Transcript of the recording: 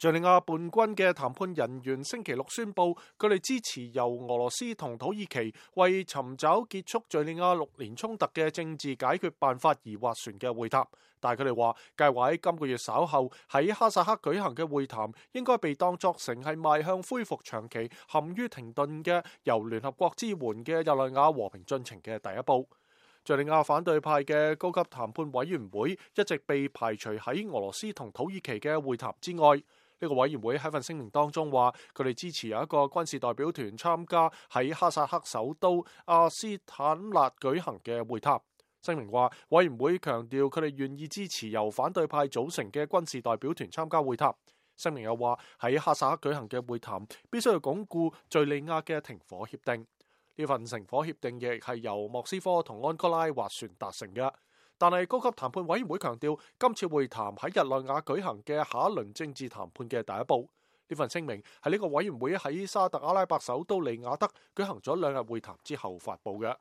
敘利亞叛軍嘅談判人員星期六宣布，佢哋支持由俄羅斯同土耳其為尋找結束敘利亞6年衝突嘅政治解決辦法而斡旋嘅會談。但係佢哋話，計劃喺今個月稍後喺哈薩克舉行嘅會談，應該被當作成係邁向恢復長期陷於停頓嘅由聯合國支援嘅日內瓦和平進程嘅第一步。敘利亞反對派嘅高級談判委員會一直被排除喺俄羅斯同土耳其嘅會談之外。呢個委員會喺份聲明當中話，佢哋支持有一個軍事代表團參加喺哈薩克首都阿斯坦納舉行嘅會談。聲明話，委員會強調佢哋願意支持由反對派組成嘅軍事代表團參加會談。聲明又話，喺哈薩克舉行嘅會談必須要鞏固敘利亞嘅停火協定。呢份停火協定亦係由莫斯科同安哥拉斡旋達成嘅。但係高級談判委員會強調，今次會談喺日內瓦舉行嘅下一輪政治談判嘅第一步。呢份聲明係呢個委員會喺沙特阿拉伯首都利雅得舉行咗2日會談之後發布嘅。